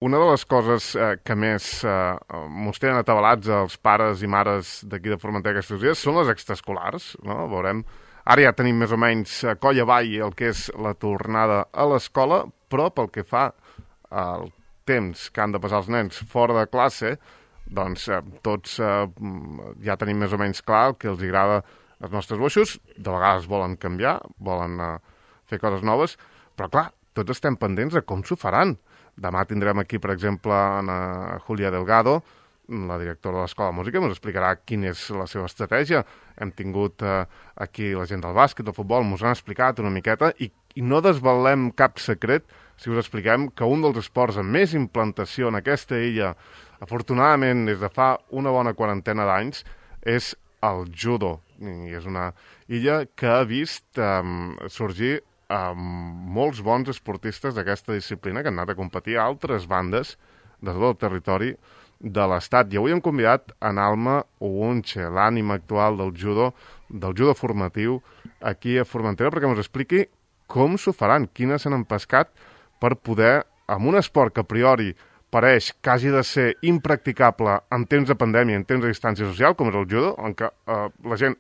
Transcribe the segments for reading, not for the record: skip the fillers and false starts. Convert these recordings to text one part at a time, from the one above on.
Una de les coses que més mos tenen atabalats els pares i mares d'aquí de Formentera aquests dies són les extraescolars, no? Veurem, ara ja tenim més o menys coll avall el que és la tornada a l'escola, però pel que fa al temps que han de passar els nens fora de classe, doncs tots ja tenim més o menys clar el que els agrada als nostres boixos. De vegades volen canviar, volen fer coses noves, però clar, tots estem pendents de com s'ho faran. Demà tindrem aquí, per exemple, Julia Delgado, la directora de l'Escola de Música, ens explicarà quina és la seva estratègia. Hem tingut aquí la gent del bàsquet, del futbol, ens han explicat una miqueta i no desvelem cap secret si us expliquem que un dels esports amb més implantació en aquesta illa, afortunadament des de fa una bona quarantena d'anys, és el judo. I és una illa que ha vist sorgir molts bons esportistes d'aquesta disciplina que han anat a competir a altres bandes de tot el territori de l'Estat. I avui hem convidat en Alma Ogunche, l'ànima actual del judo formatiu aquí a Formentera, perquè ens expliqui com s'ho faran, quines s'han empescat per poder, amb un esport que a priori pareix que hagi de ser impracticable en temps de pandèmia, en temps de distància social, com és el judo, en què la gent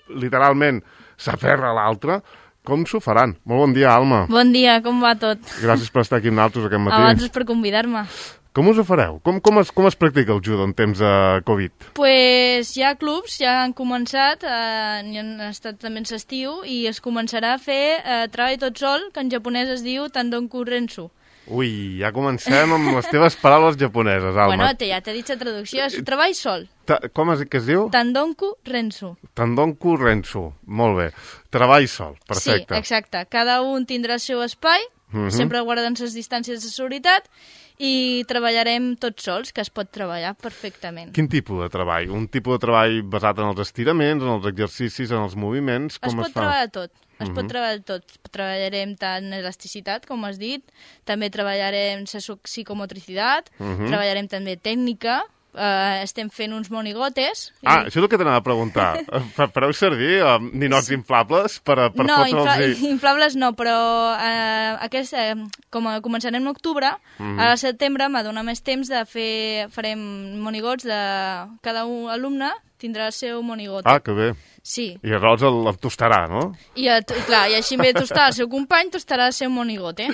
literalment s'aferra a l'altra. Com s'ho faran? Molt bon dia, Alma. Bon dia, com va tot? Gràcies per estar aquí amb nosaltres aquest matí. A vosaltres per convidar-me. Com us ho fareu? Com es practica el judo en temps de Covid? Pues hi ha clubs, ja han començat, n'hi han estat també en l'estiu, i es començarà a fer treball tot sol, que en japonès es diu Tandonku Rensu. Ui, ja comencem amb les teves paraules japoneses, Alma. Bueno, ja t'he dit la traducció, és treball sol. Com que es diu? Tandonku Rensu. Tandonku Rensu, molt bé. Treball sol, perfecte. Sí, exacte. Cada un tindrà el seu espai, sempre guardant les distàncies de seguretat, i treballarem tots sols, que es pot treballar perfectament. Quin tipus de treball? Un tipus de treball basat en els estiraments, en els exercicis, en els moviments? Com es fa? Es pot treballar tot. Es pot treballar tot. Treballarem tant elasticitat, com has dit, també treballarem psicomotricitat, treballarem també tècnica, estem fent uns monigotes. Això és el que t'anava a preguntar. Fareu servir ninots inflables per no, fotre'ls? No, inflables no, però com començarem en octubre, a setembre m'ha donat més temps de farem monigots de cada alumne tindrà el seu monigote. Ah, que bé. Sí. I llavors el tostarà, no? I així en ve de tostar el seu company, tostarà el seu monigote.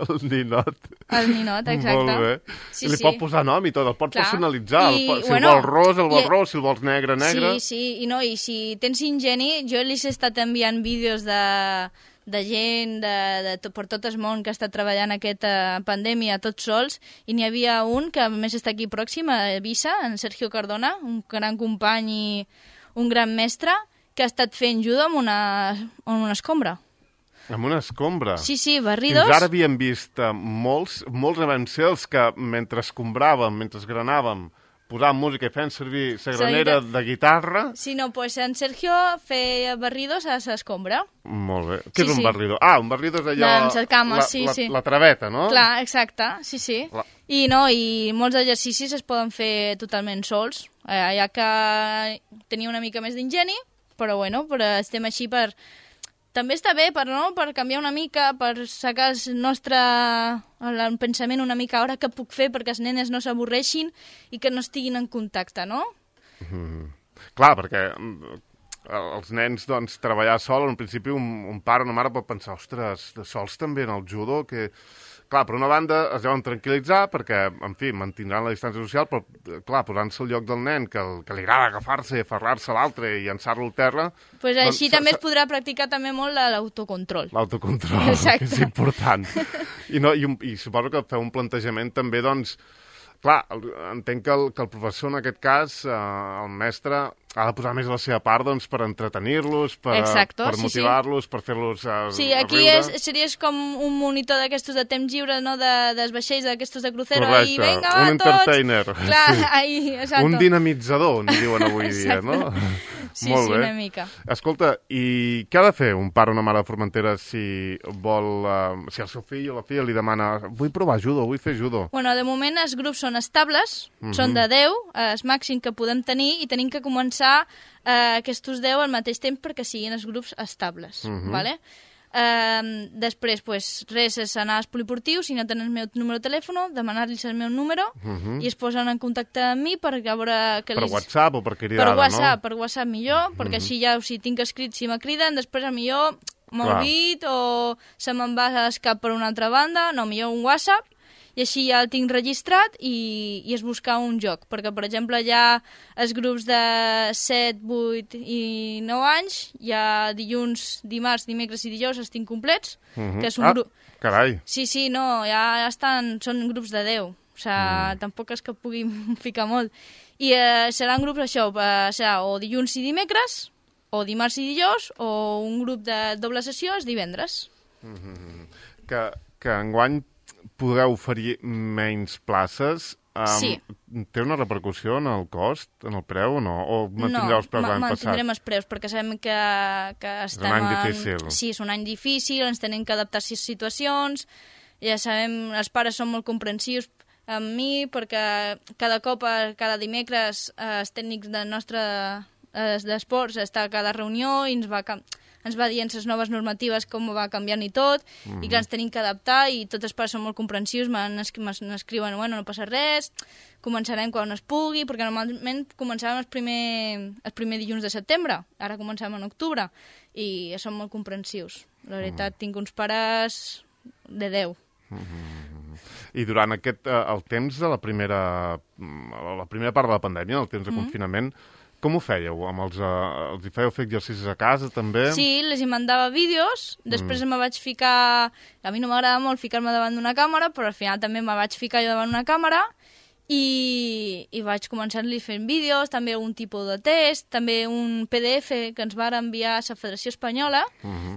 El ninot. El ninot, exacte. Molt bé. Sí, I li pot posar nom i tot, el pot personalitzar. Si el vols ros, si el vols negre. Sí, i si tens ingeni, jo li he estat enviant vídeos de gent per tot el món que està treballant aquesta pandèmia tots sols, i n'hi havia un que a més està aquí pròxim, a Eivissa, en Sergio Cardona, un gran company i un gran mestre, que ha estat fent judo amb una escombra. Amb una escombra? Sí, barridos. Fins ara havíem vist molts vam ser els que mentre escombràvem, mentre granàvem, posàvem música i fent servir la granera de guitarra. Sí, no, doncs en Sergio feia barridos a l'escombra. Molt bé. Què és un barrido? Un barrido és allò... Doncs les cames, sí. La traveta, no? Clar, exacte, sí. I molts exercicis es poden fer totalment sols, ja que tenia una mica més d'ingeni, però estem així per... També està bé per canviar una mica, per sacar el pensament una mica, ara què puc fer perquè els nenes no s'avorreixin i que no estiguin en contacte, no? Clar, perquè els nens, doncs, treballar sol, en principi un pare o una mare pot pensar, ostres, de sols també en el judo, que... Clar, per una banda es deuen tranquil·litzar perquè, en fi, mantindran la distància social, però, clar, posant-se al lloc del nen, que li agrada agafar-se i aferrar-se a l'altre i llançar-lo al terra... Pues així també es podrà practicar també molt l'autocontrol. L'autocontrol, que és important. I suposo que feu un plantejament també, doncs... Clar, entenc que el professor, en aquest cas, el mestre, ha de posar més la seva part doncs, per entretenir-los, per motivar-los, per fer-los Sí, aquí series com un monitor d'aquestos de temps lliure, no? Dels vaixells d'aquestos de crucero. Correcte, i vinga, un entertainer. Clar, exacte. Un dinamitzador, n'hi diuen avui dia, no? Sí, Molt bé. una mica. Escolta, i què ha de fer un pare o una mare de Formentera si vol... si el seu fill o la filla li demana vull provar judo, vull fer judo? Bueno, de moment els grups són estables, són de 10, el màxim que podem tenir, i tenim que començar aquests 10 al mateix temps perquè siguin els grups estables, ¿vale? Després, pues, res, és anar als poliportius, si no tenen el meu número de telèfon, demanar-los el meu número i es posen en contacte amb mi per veure... Per WhatsApp o per cridada, no? Per WhatsApp millor, perquè així ja, si tinc escrit, si me criden, després millor m'olvid o se me'n va a escap per una altra banda, no, millor un WhatsApp, i així ja el tinc registrat i és buscar un joc, perquè, per exemple, hi ha els grups de 7, 8 i 9 anys, hi ha dilluns, dimarts, dimecres i dijous, els tinc complets, que és un grup... Carai! Sí, no, ja estan, són grups de 10, o sigui, tampoc és que pugui ficar molt. I seran grups, això, serà o dilluns i dimecres, o dimarts i dijous, o un grup de doble sessió és divendres. Que enguany podreu oferir menys places. Sí. Té una repercussió en el cost, en el preu o no? O mantindreu els preus l'any passat? No, mantindrem els preus, perquè sabem que estem... És un any difícil. Sí, és un any difícil, ens tenim que adaptar a situacions, ja sabem, els pares són molt comprensius amb mi, perquè cada cop, cada dimecres, els tècnics del nostre d'esports està a cada reunió i ens va dient les noves normatives, com va canviant i tot, i clar, ens tenim que adaptar i tots els pares són molt comprensius, m'escriuen, bueno, no passa res, començarem quan es pugui, perquè normalment començàvem el primer dilluns de setembre, ara començàvem en octubre, i són molt comprensius. La veritat, tinc uns pares de 10. I durant el temps de la primera part de la pandèmia, el temps de confinament, com ho fèieu? Els hi fèieu fer exercicis a casa, també? Sí, les hi mandava vídeos, després me vaig ficar... A mi no m'agrada molt ficar-me davant d'una càmera, però al final també me vaig ficar jo davant d'una càmera i vaig començar-li fent vídeos, també un tipus de test, també un PDF que ens va enviar a la Federació Espanyola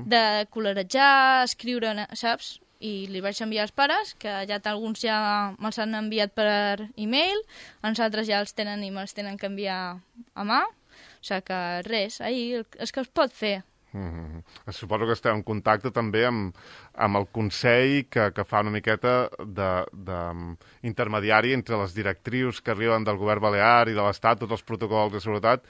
de colorejar, escriure, saps? I li vaig enviar als pares, que ja alguns ja me'ls han enviat per e-mail, els altres ja els tenen i me'ls tenen que enviar a mà. O sigui que res, ahir és que es pot fer. Suposo que esteu en contacte també amb el Consell que fa una miqueta d'intermediari entre les directrius que arriben del govern balear i de l'Estat, tots els protocols de seguretat,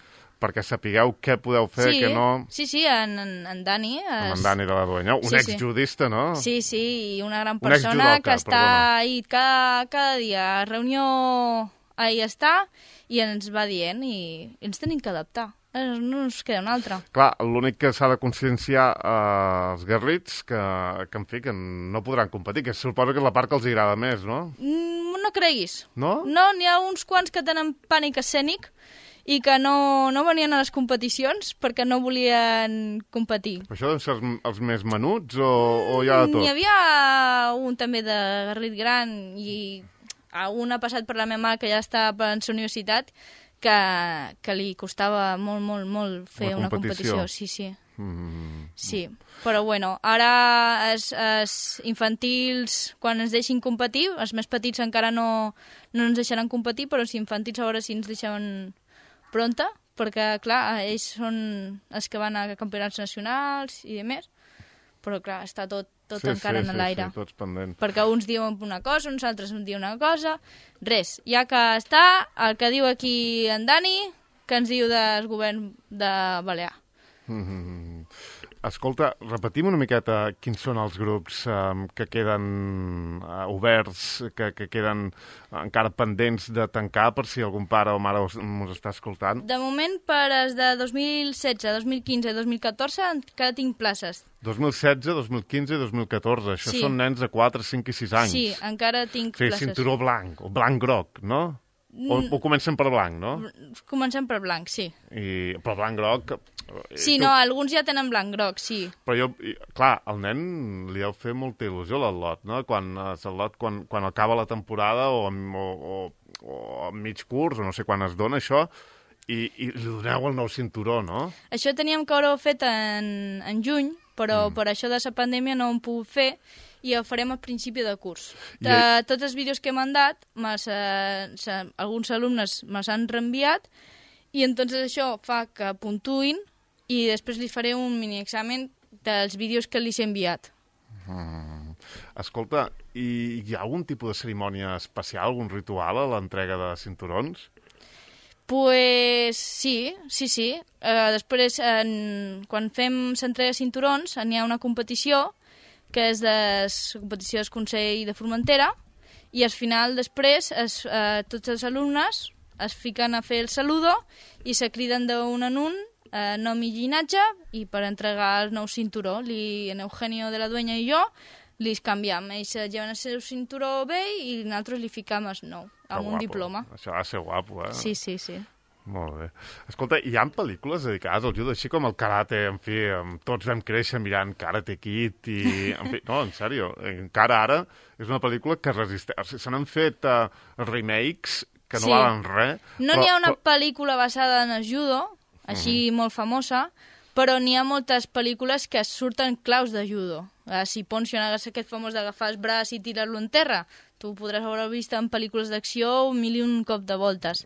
perquè sapigueu què podeu fer, què no... Sí, en Dani. En Dani de la Duenya, un exjudista, no? Sí, i una gran persona que està ahí cada dia a reunió, ahí està, i ens va dient, i ens tenim que adaptar. No ens queda una altra. Clar, l'únic que s'ha de conscienciar els garrits que en fi, que no podran competir, que suposo que és la part que els agrada més, no? No creguis. No? No, n'hi ha uns quants que tenen pànic escènic, i que no venien a les competicions perquè no volien competir. Això deuen ser els més menuts o hi ha de tot? N'hi havia un també de garrit gran i un ha passat per la meva mare que ja està per la universitat que li costava molt fer una competició. Sí. Sí, però bueno, ara els infantils, quan ens deixin competir, els més petits encara no ens deixaran competir, però els infantils a veure si ens deixaven pronta, perquè, clar, ells són els que van a campionats nacionals i demés, però, clar, està tot encara en l'aire. Sí, tots pendents. Perquè uns diuen una cosa, uns altres diuen una cosa. Res, ja que està, el que diu aquí en Dani, que ens diu del govern de Balear. Escolta, repetim una miqueta quins són els grups que queden oberts, que queden encara pendents de tancar, per si algun pare o mare ens està escoltant. De moment, per els de 2016, 2015 i 2014 encara tinc places. 2016, 2015 i 2014. Això són nens de 4, 5 i 6 anys. Sí, encara tinc places. Sí, cinturó blanc, o blanc-groc, no? O comencem per blanc, no? Comencem per blanc, sí. Però blanc-groc... Sí, no, alguns ja tenen blanc-groc, sí. Però clar, al nen li deu fer molta il·lusió l'Atlot, no? Quan acaba la temporada o a mig curs, o no sé quan es dona això, i li doneu el nou cinturó, no? Això teníem que haver fet en juny, però per això de la pandèmia no ho hem pogut fer, i ho farem al principi de curs. De tots els vídeos que he mandat, alguns alumnes me s'han reenviat, i entonces això fa que puntuïn, i després li faré un mini-examen dels vídeos que li he enviat. Escolta, hi ha algun tipus de cerimònia especial, algun ritual a l'entrega de cinturons? Pues sí. Després, quan fem s'entrega cinturons, n'hi ha una competició, que és competició del Consell de Formentera, i al final, després, tots els alumnes es fiquen a fer el saludo i se criden d'un en un, nom i llinatge, i per entregar el nou cinturó. En Eugenio de la Dueña i jo li canviem. Ells lleven el seu cinturó vell i nosaltres li ficam el nou, amb un diploma. Això va ser guapo, eh? Sí. Molt bé. Escolta, hi ha pel·lícules dedicades al judo, així com el karate, en fi, tots vam créixer mirant Karate Kid i... En fi, no, en sèrio, encara ara és una pel·lícula que resisteix. O sigui, se n'han fet remakes que no valen res. No n'hi ha una pel·lícula basada en el judo, així molt famosa, però n'hi ha moltes pel·lícules que surten claus de judo. Si Poncio n'hagués aquest famós d'agafar el braç i tirar-lo en terra, tu podràs haver vist en pel·lícules d'acció mil i un cop de voltes.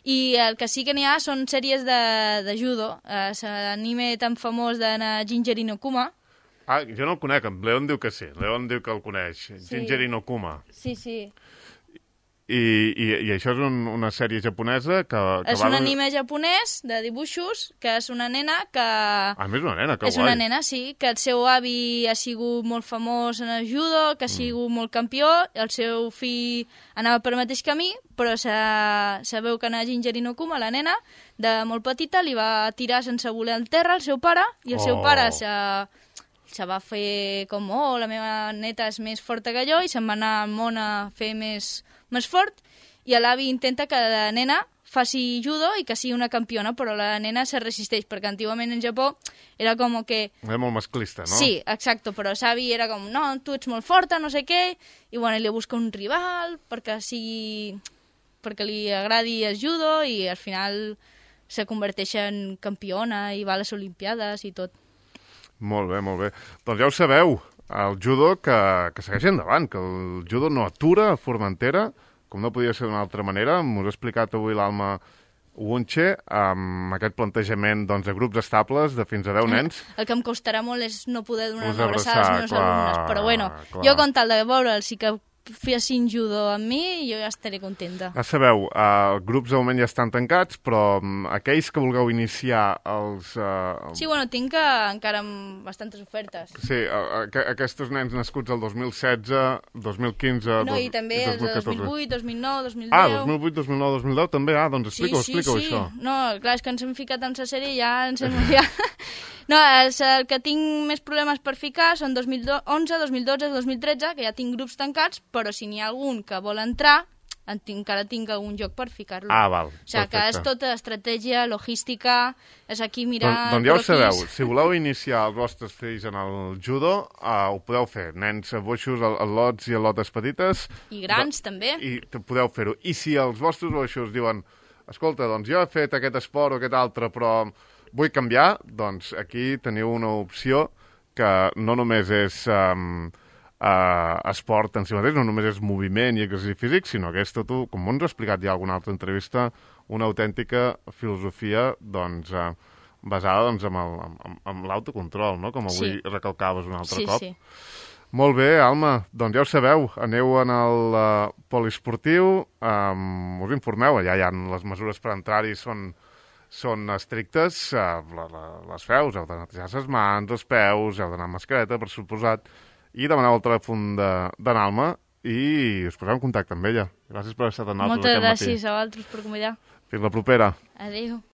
I el que sí que n'hi ha són sèries de judo. L'anime tan famós de Ginger Inokuma. Jo no el conec, en Leon diu que sí. Leon diu que el coneix. Ginger Inokuma. Sí. I això és una sèrie japonesa que és un anime japonès de dibuixos, que és una nena que... és una nena, que guai. És una nena, sí, que el seu avi ha sigut molt famós en el judo, que ha sigut molt campió, el seu fill anava per el mateix camí, però sabeu que a Ginger Inokuma, la nena, de molt petita, li va tirar sense voler al terra el seu pare, i el seu pare se va fer com, la meva neta és més forta que jo, i se'n va anar al món a fer més fort, i l'avi intenta que la nena faci judo i que sigui una campiona, però la nena se resisteix, perquè antigament en Japó era com que... Era molt masclista, no? Sí, exacto, però l'avi era com, no, tu ets molt forta, no sé què, i bueno, li busca un rival perquè li agradi el judo, i al final se converteix en campiona i va a les Olimpiades i tot. Molt bé, molt bé. Doncs ja ho sabeu, el judo que segueix endavant, que el judo no atura a Formentera, com no podia ser d'una altra manera. M'ho ha explicat avui l'Alma Wunche, amb aquest plantejament de grups estables de fins a 10 nens. El que em costarà molt és no poder donar una abraçada als meus alumnes, però bueno, jo con tal de veure'ls i que fessin judo amb mi, jo ja estaré contenta. Ja sabeu, grups de moment ja estan tancats, però aquells que vulgueu iniciar els... Sí, bueno, tinc encara bastantes ofertes. Sí, aquests nens nascuts el 2016, 2015... No, i també els 2008, 2009, 2010... 2008, 2009, 2010 també? Doncs explica-ho, això. No, clar, és que ens hem ficat en la sèrie i ja ens hem... No, el que tinc més problemes per ficar són 2011, 2012, 2013, que ja tinc grups tancats, però si n'hi ha algun que vol entrar, encara tinc algun joc per ficar-lo. Val, perfecte. O sigui, que és tota estratègia, logística, és aquí mirar... Doncs ja ho sabeu, si voleu iniciar els vostres fills en el judo, ho podeu fer. Nens boixos, al·lots i al·lotes petites... I grans, també. I podeu fer-ho. I si els vostres boixos diuen, escolta, doncs jo he fet aquest esport o aquest altre, però... vull canviar, doncs aquí teniu una opció que no només és esport en si mateix, no només és moviment i exercici físic, sinó que és tot, com ens ha explicat ja en alguna altra entrevista, una autèntica filosofia basada en l'autocontrol, no? Com avui recalcaves un altre cop. Sí. Molt bé, Alma, doncs ja ho sabeu, aneu en el poliesportiu, us informeu, allà hi ha les mesures per entrar-hi són estrictes, les feus, heu de netejar les mans, els peus, heu d'anar amb mascareta, per suposat, i demaneu el telèfon d'en Alma i us poseu en contacte amb ella. Gràcies per haver estat amb nosaltres aquest matí. Moltes gràcies a vosaltres per convidar. Fins la propera. Adéu.